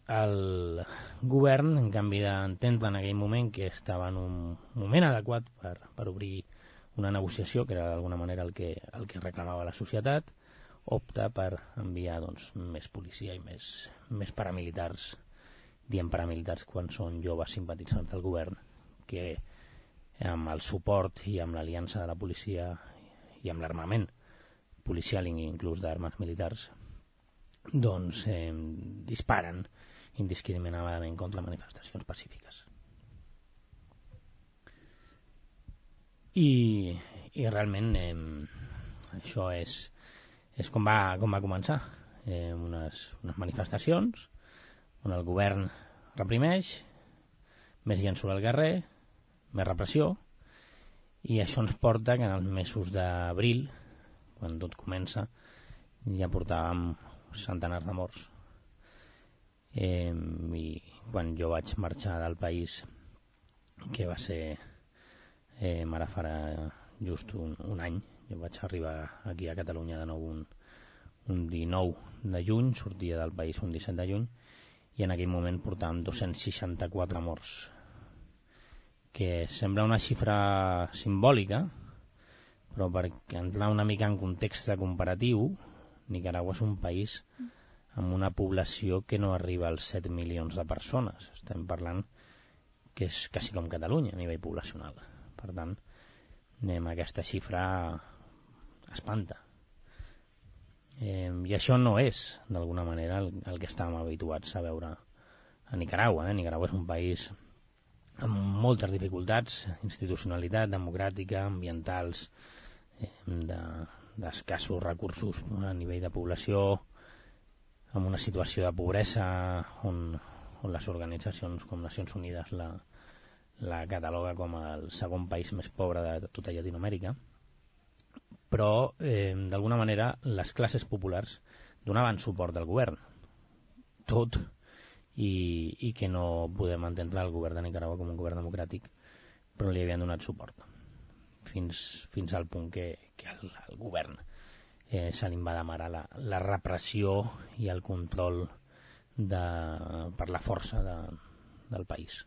el govern, en canvi d'entendre en aquell moment que estava en un moment adequat per obrir una negociació, que era d'alguna manera el que reclamava la societat, opta per enviar més policia i més paramilitars, diem paramilitars quan són joves simpatitzants del govern, que amb el suport i amb l'aliança de la policia i amb l'armament policial, inclús d'armes militars, disparen indiscriminadament contra manifestacions pacífiques. I realment això és com va començar, unes manifestacions on el govern reprimeix, més gent surt al carrer, més repressió, i això ens porta que en els mesos d'abril, quan tot comença, ja portàvem centenars de morts. I quan jo vaig marxar del país, que va ser ara farà just un any, jo vaig arribar aquí a Catalunya de nou un 19 de juny, sortia del país un 17 de juny, i en aquell moment portàvem 264 morts, que sembla una xifra simbòlica, però per entrar una mica en context comparatiu, Nicaragua és un país amb una població que no arriba als 7 milions de persones. Estem parlant que és quasi com Catalunya a nivell poblacional. Per tant, aquesta xifra espanta. I això no és, d'alguna manera, el que estàvem habituats a veure a Nicaragua. Nicaragua és un país amb moltes dificultats, institucionalitat democràtica, ambientals, d'escassos recursos a nivell de població, amb una situació de pobresa on les organitzacions com Nacions Unides la cataloga com el segon país més pobre de tota Llatinoamèrica, però d'alguna manera les classes populars donaven suport al govern, tot i que no podem entendre el govern de Nicaragua com un govern democràtic, però li havien donat suport fins al punt que el govern se li va demanar la repressió i el control per la força del país.